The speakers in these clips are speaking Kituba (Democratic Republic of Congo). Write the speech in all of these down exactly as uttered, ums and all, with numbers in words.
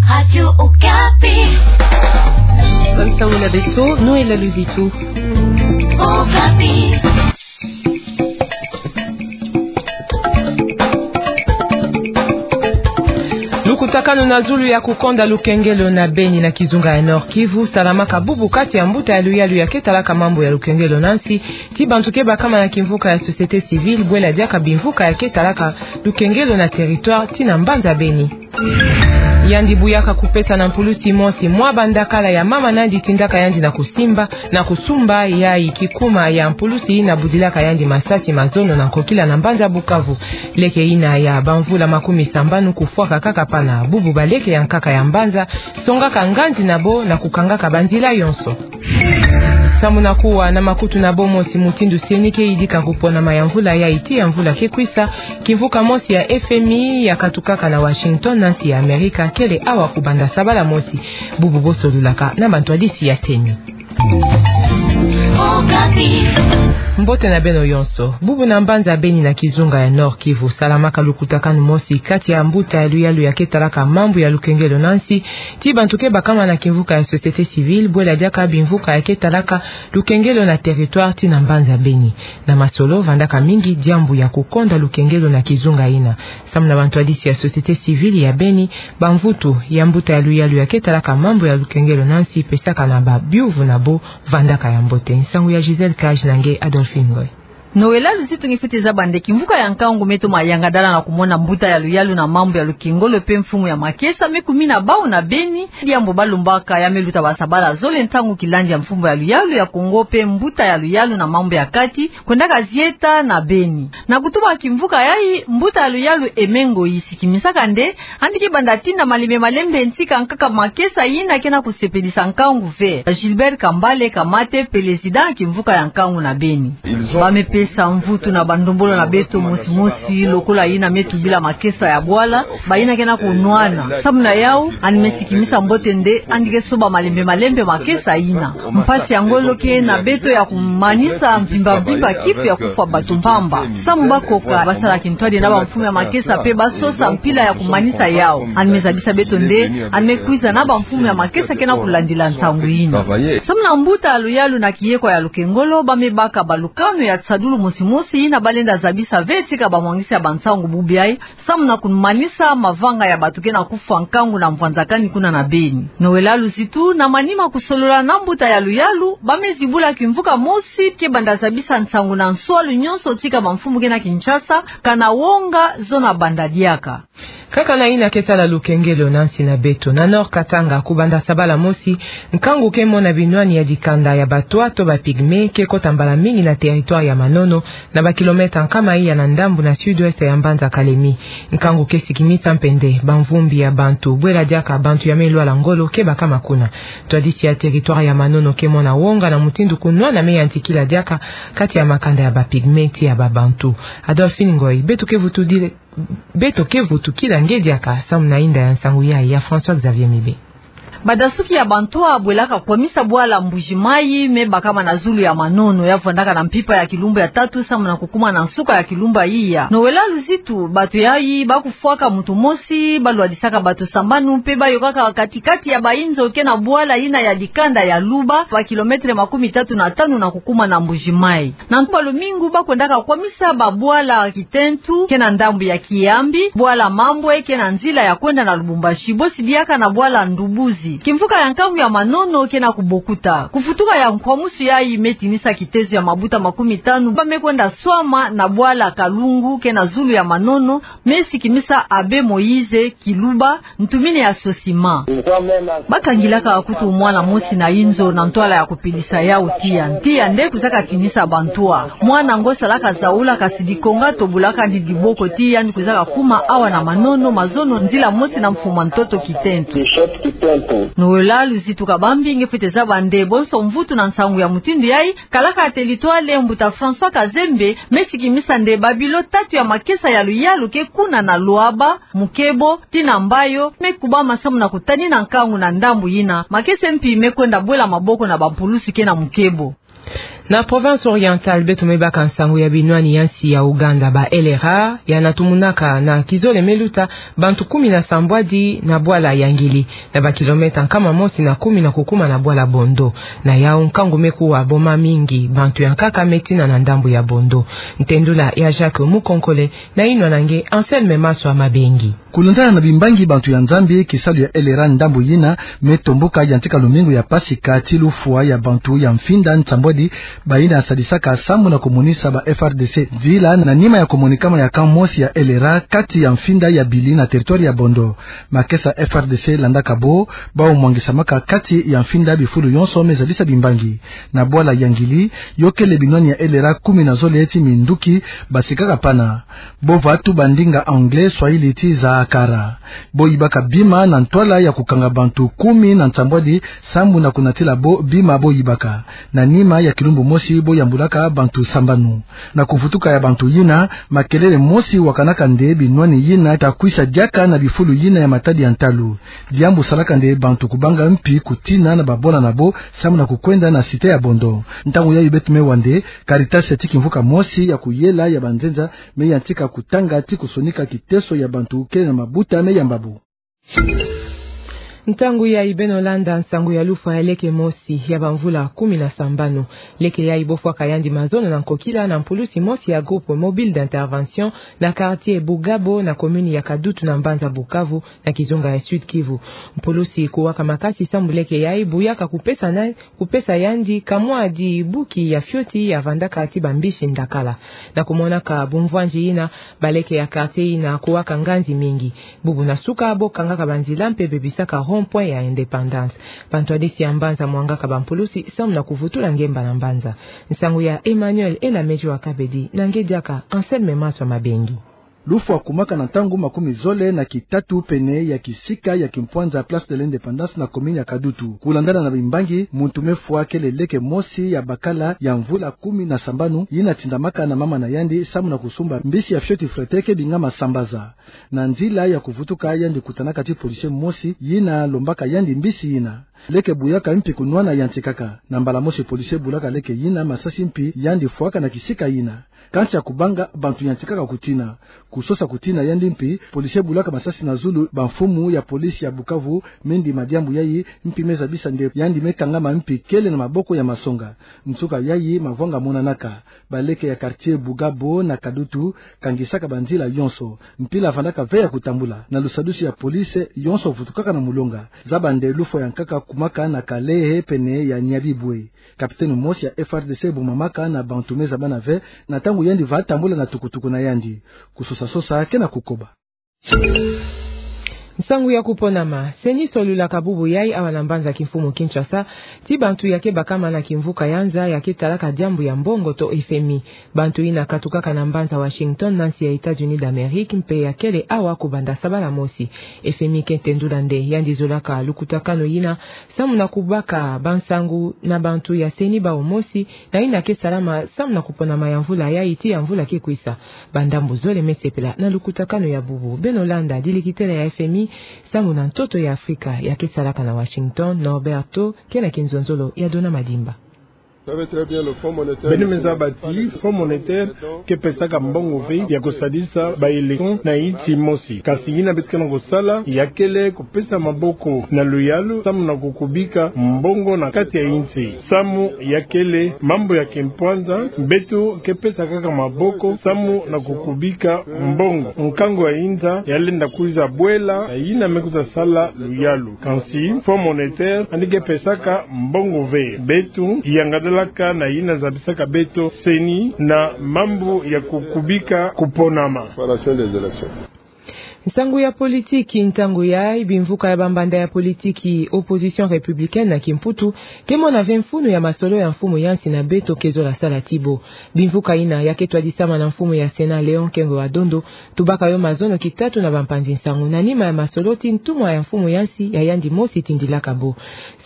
Radio Okapi. Bansango na beto, Noëlla Luzitu. Okapi. Lukutakanu na zulu ya kukonda lukengelo na beni na kizunga ya Nord-Kivu salamaka bubu kati ya mbuta ya luyalu ya ke talaka mambu ya lukengelo na nsi, ti bantu ke bakama na kimvuka ya société civile, bwela diaka bimvuka ya ke talaka lukengelo na territoire ti na mbanza Beni. Yandi buyaka kupesa na mpulusi mosi mwa bandakala ya mama nandi tindaka yandi na kusimba, na kusumba yayi kikuma ya mpulusi yina budilaka yandi masasi ma zono na nkokila na mbanza Bukavu. Leke yina ya bamvula makumi sambanu kufwaka kaka pana. Bubu baleke ya nkaka ya mbanza songaka nganzi na bo na kukangaka banzila yonso. Samu na kuwa na makutu na bo mosi mutindu C E N I ke yidika kuponama ya mvula yayi ti ya mvula ke kwisa, kimvuka mosi ya F M I ya katukaka na Washington na nsi ya Amerika kele awa kubanda sabala mosi. Bubu bosolulaka na bantwadisi ya C E N I. Mbote na beno yonso. Bubu na mbanza Beni na kizunga ya Nord-Kivu salamaka lukutakanu mosi kati ya mbuta ya luyalu ya ke talaka mambu ya lukengelo na nsi, ti bantu ke bakama na kimvuka ya société civile, bwela diaka bimvuka ya ke talaka lukengelo na territoire ti na mbanza Beni. Na masolo vandaka mingi diambu ya kukonda lukengelo na kizunga yina. Samu na bantwadisi ya société civile ya Beni, bamvutu ya mbuta ya luyalu ya ke talaka mambu ya lukengelo na nsi pesaka na ba biuvu na bo vandaka ya mbote. Nsangu ya Gisèle Cage na nge Adolphine Ngoy. Noëlla Luzitu, nge fwete zaba nde kimvuka ya nkangu me toma yanga dala na kumona mbuta ya luyalu na mambu ya lukengelo pe mfumu ya makesa me kumina bau na Beni. Diambu balumbaka ya me luta basabala zole ntangu kilandi ya mfumu ya luyalu ya Kongo pe mbuta ya luyalu na mambu ya kati kwendaka zieta na Beni. Na kutuba kimvuka yayi, mbuta ya luyalu Aimé Ngoyi sikimisaka nde yandi ke banda tinda malembe malembe ntika nkaka makesa yina ke na kusepelisa nkangu ve. Gilbert Kambale Kamate, président ya kimvuka ya nkangu na Beni. Ba me pesa mvutu na bandombolo na beto mosi mosi lokola yina me tubila makesa ya bwala, bayina ke na kunwana. Samu na yau, yandi me sikimisa mbote nde yandi ke soba malembe malembe makesa yina. Mpasi ya ngolo ke na beto ya kumanisa mvimba mvimba kifu ya kufwa bato mpamba. Samu bakoka basala kintwadi na bamfumu ya makesa pe basosa mpila ya kumanisa yau. Yandi me zabisa beto nde yandi me kwiza na bamfumu ya makesa ke na kulandila nsangu yina. Samu na mbuta ya luyalu na kiyekwa ya lukengelo, ba me baka balukanu ya nsadulu mosi mosi yina balenda zabisa ve tika bamwangisi ya bansangu bubu yayi, samu na kumanisa mavanga ya bato ke na kufwa nkangu na mvwanzakani kuna na Beni. Noëlla Luzitu, na manima kusolola na mbuta ya luyalu, ba me zibula kimvuka mosi ke banda zabisa nsangu na nswalu nyonso tika bamfumu ke na Kinshasa, kana wonga zo na banda diaka. Kaka na yina ke tala lukengelo na nsi na beto, na Nord Katanga, kubanda sabala mosi, nkangu ke mona binwani ya dikanda ya bantwa to ba pygmées ke kota mbala mingi na territoire ya Manono, na ba kilomètre nkama iya na ndambu na sud-ouest ya mbanza Kalemi. Nkangu ke sikimisa mpe nde bamvumbi ya bantu, bwela diaka bantu ya me lwala ngolo ke bakama kuna. Ntwadisi ya territoire ya Manono ke mona wonga na mutindu kunwana me yantikila diaka kati ya makanda ya ba pygmées ti ya ba bantu. Adolphine Ngoy, beto ke vutu dire-, beto ke vutukila nge diaka samu na yinda ya nsangu yayi ya François Xavier Mibe. Badasuki ya bantwa bwelaka kwamisa bwala Mbuji Mayi me bakama na zulu ya Manono, ya vwandaka na mpimpa ya kilumbu ya tatu samu na kukuma na nsuka ya kilumbu iya. Noëlla Luzitu, bato yayi ba kufwaka mutu mosi, balwadisaka bato sambanu, mpe bayokaka kati-kati ya bayinzo ke na bwala yina ya dikanda ya Luba, ba kilomètre makumi tatu na tanu na kukuma na Mbuji Mayi. Na ntu ba lumingu ba kwendaka kwamisa babwala kitentu ke na ndambu ya Kiyambi, bwala Mambwe ke na nzila ya kwenda na Lubumbashi, bosi diaka na bwala Ndubuzi. Kimvuka ya nkangu ya Manono ke na kubokuta. Kuvutuka ya nkwamusu yayi me tinisa kitezo ya mabuta makumi tanu ba me kwenda swama na bwala Kalungu ke na zulu ya Manono, me sikimisa Abbé Moïse Kiluba, ntumini ya SOCIMA. Ba kangilaka kutu mwana mosi na yinzo na ntwala ya kupelisa yau tiya. Tiya nde kwizaka tinisa bantwa. Mwana ngo salaka zaula, kasi dikonga tobulaka ni diboko ti yandi kwizaka kuma awa na Manono, mazono nzila mosi na mfuma ntoto kitentu. Noëlla Luzitu, kabambi nge fwete zaba nde bonso mvutu na nsangu ya mutindu yayi, kalaka ya territoire, mbuta François Kazembe me sikimisa nde babilo tatu ya makesa ya luyalu ke kuna na Luaba, Mukebo, tii na Mbayo, me kubama samu na kutanina nkangu na ndambu yina, makesa mpi me kwenda bwela maboko na bampulusu ke na Mukebo. Na province orientale, beto me baka nsangu ya binwani ya nsi ya Ouganda, ba L R A, ya na tumunaka na kizole me luta bantu kumi na sambwadi na bwala Yangili, na ba kilomètre nkama mosi na kumi na kukuma na bwala Bondo. Na yau nkangu me kuwa boma mingi, bantu ya nkaka me tina na ndambu ya Bondo. Ntendula ya Jacques Mukonkole, na inwa na nge Anselme Maswa Mabengi. Kulandana na bimbangi bantu ya Nzambi, kisalu ya L R A ndambu yina me tomboka yantika lumingu ya Pasika ti lufwa ya bantu ya mfinda nsambwadi, bayina sadisaka sambu na kumonisa ba F R D C nzila na nima ya kumonikama ya camp mosi ya L R A kati ya mfinda ya Bili na territoire ya Bondo. Makesa F R D C landaka bo, bau mwangisamaka kati ya mfinda bifulu yonso me zabisa bimbangi. Na bwala Yangili, yo kele binwani ya L R A kumi na zole ti minduki basikaka pana. Bo vatu ba ndinga anglais, swahili ti zaakara. Bo yibaka bima na ntwala ya kukanga bantu kumi na nsambwadi sambu na kunatila bo bima bo yibaka. Na nima ya kilumbu mosi bo yambulaka bantu sambanu. Na kuvutuka ya bantu yina, makelele mosi wakanaka nde binwani yina ta kwisa diaka na bifulu yina ya matadi ya ntalu. Diambu salaka nde bantu kubanga mpi kutina na babwala na bo sambu na kukwenda na cité ya Bondo. Ntangu yayi beto me wa nde Caritas ti kimvuka mosi ya kuyela ya banzenza me yantika kutanga ti kusonika kiteso ya bantu kele na mabuta me yamba bo. Ntangu yayi beno landa nsangu ya lufwa ya leke mosi ya bamvula kumi na sambanu. Leke yayi bo fwaka yandi mazono na nkokila na mpulusi mosi ya groupe mobile d'intervention na quartier Bugabo na commune ya Kadutu na mbanza Bukavu, na kizunga ya Sud-Kivu. Mpulusi kuwaka makasi sambu leke yayi buyaka kupesa na, kupesa yandi kamwadi buki ya fioti ya vandaka ti bambisi ndakala. Na kumonaka bumvwanzi yina, baleke ya quartier yina kuwaka nganzi mingi. Bubu na suka bo kangaka banzila mpe bebisaka rond-point ya Indépendance. Bantwadisi ya mbanza mwangaka bampulusi sambu na kuvutula ngemba na mbanza. Nsangu ya Emmanuel Elamejua Kabedi, na nge diaka Anselme Maswa Mabengi. Lufwa kumaka na ntangu makumi zole na kitatu pene ya kisika ya kimpwanza Place de l'Indépendance na commune ya Kadutu. Kulandana na bimbangi, muntu me fwa kele leke mosi ya bakala ya mvula kumi na sambanu, yina tindamaka na mama na yandi sambu na kusumba mbisi ya fioti frite ke bingama sambaza. Na nzila ya kuvutuka, yandi kutanaka ti policier mosi yina lombaka yandi mbisi yina. Leke buyaka mpi kunwana yantikaka. Na mbala mosi policier bulaka leke yina masasi mpi yandi fwaka na kisika yina. Kansi ya kubanga bantu yantikaka kutina. Kusosa kutina yandi mpi, policier bulaka masasi na zulu bamfumu ya police ya Bukavu, me ndima diambu yayi mpi me zabisa nde yandi me kangama mpi kele na maboko ya masonga. Nsuka yayi mavwanga monanaka. Baleke ya quartier Bugabo na Kadutu kangisaka banzila yonso. Mpila vandaka ve ya kutambula. Na lusadusi ya police, yonso vutukaka na mulonga. Zaba nde lufwa ya nkaka kumaka na Kalehe pene ya Nyabibwe. Capitaine mosi ya F R D C bumamaka na bantu me zabana ve, na ntangu yandi va tambula na tukutuku na yandi. Kusosa-sosa ke na kukoba. Nsangu ya kuponama. CENI solulaka bubu yayi awa na mbanza kimfumu Kinshasa ti bantu ya ke bakama na kimvuka ya nza ya ke talaka diambu ya mbongo to F M I. Bantu yina katukaka na mbanza Washington na nsi ya États-Unis d'Amérique mpe ya kele awa kubanda sabala mosi. F M I ke tendula nde yandi zolaka lukutakanu yina samu na kubaka bansangu na bantu ya CENI bawu mosi, na yina ke salama samu na kuponama ya mvula yayi ti ya mvula ke kwisa. Bandambu zole me sepela na lukutakanu ya bubu. Beno landa dilikitela ya F M I samu na ntoto ya Afrika ya ke salaka na Washington, Norberto, ke na kinzonzolo ya Dona Madimba. Beno me zaba ti Fonds monétaire ke pesaka mbongo ve ya kusadisa ba élection na insi mosi. Kasi yina beto ke na kusala ya kele kupesa maboko na luyalu samu na kukubika mbongo na kati ya insi. Samu ya kele mambu ya kimpwanza, beto ke pesa kaka maboko samu na kukubika mbongo. Nkangu ya inza ya lenda kwiza bwela, yina me kwiza sala luyalu. Kansi Fonds monétaire yandi ke pesaka mbongo ve. Beto yangadalaka na yina zabisaka beto CENI na mambu ya kukubika kuponama. Préparation des élections. Nsangu ya politiki. Ntangu yayi bimvuka ya bambanda ya politiki, opposition républicaine na kimputu, ke mona ve mfunu ya masolo ya mfumu ya nsi na beto ke zola sala ti bo. Bimvuka yina ya ke twadisama na mfumu ya Sénat Léon Kengo wa Dondo, tubaka yo mazono kitatu na bampanzi nsangu na nima ya masolo ti ntumwa ya mfumu ya nsi ya yandi mosi tindilaka bo.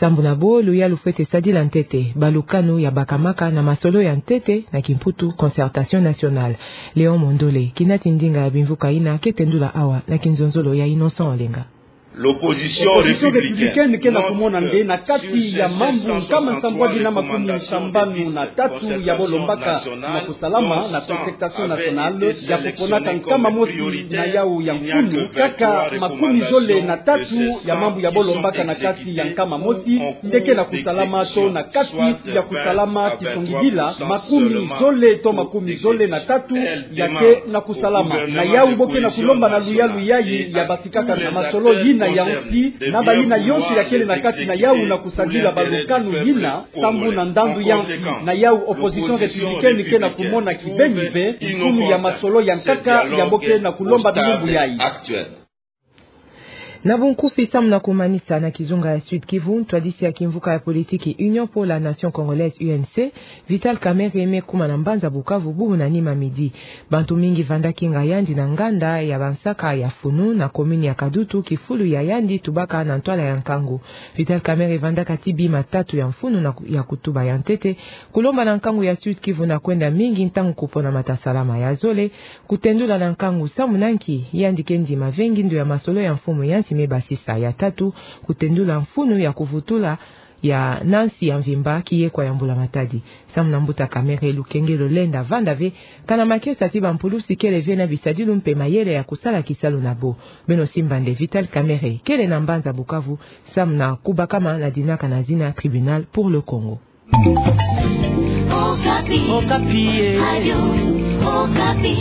Sambu na bo, luyalu fwete sadila ntete, balukanu ya bakamaka na masolo ya ntete, na kimputu concertation nationale. Léon Mondole, kinati ndinga ya bimvuka yina ke tendula awa na kinzonzolo ya Innocent Olenga. Opposition républicaine ke na kumona nde na kati ya mambu nkama nsambwadi na makumi sambanu na tatu ya bolombaka na kusalama na concertation nationale ya kuponaka nkama mosi na yau ya mfunu, kaka makumi zole na tatu ya mambu ya bolombaka na kati ya nkama mosi nde ke na kusalama to na kati ya kusalama, tisongidila makumi zole to makumi zole na tatu ya ke na kusalama. Na yau bo ke na kulomba na luyalu yayi ya basikaka na masolo yina ya nsi, na bayina yonso ya kele na kati na yau na kusadila balukanu yina sambu na ndandu ya nsi. Na yau opposition républicaine ke na kumona kibeni ve mfunu ya masolo ya nkaka ya bo ke na kulomba bilumbu yayi. Na bunkufi, samu na kumanisa, na kizunga ya Sud-Kivu, ntwadisi ya kimvuka ya politiki Union pour la Nation Congolaise, U N C, Vital Kamerhe me kuma na mbanza Bukavu bubu na nima midi. Bantu mingi vandaki nga yandi na nganda ya bansaka ya funu na commune ya Kadutu, kifulu ya yandi tubaka na ntwala ya nkangu. Vital Kamerhe vandaka ti bima tatu ya mfunu na ku-, ya kutuba ya ntete, kulomba na nkangu ya Sud-Kivu na kwenda mingi ntangu kupona matasalama ya zole, kutendula na nkangu samu na nki yandi ke ndima ve ngindo ya masolo ya mfumu ya nsi me basisa. Ya tatu, kutendula mfunu ya kuvutula ya na nsi ya mvimba kiyekwa ya mbula matadi. Samu na mbuta Kamerhe, lukenge lo lenda vanda ve, kana makesa ti bampulusi kele ve na bisadilu mpe mayele ya kusala kisalu na bo. Beno simba nde Vital Kamerhe kele na mbanza Bukavu samu na kubakama na dinaka na zina Tribunal pour le Congo. Okapi. Okapi, eh. Radio Okapi.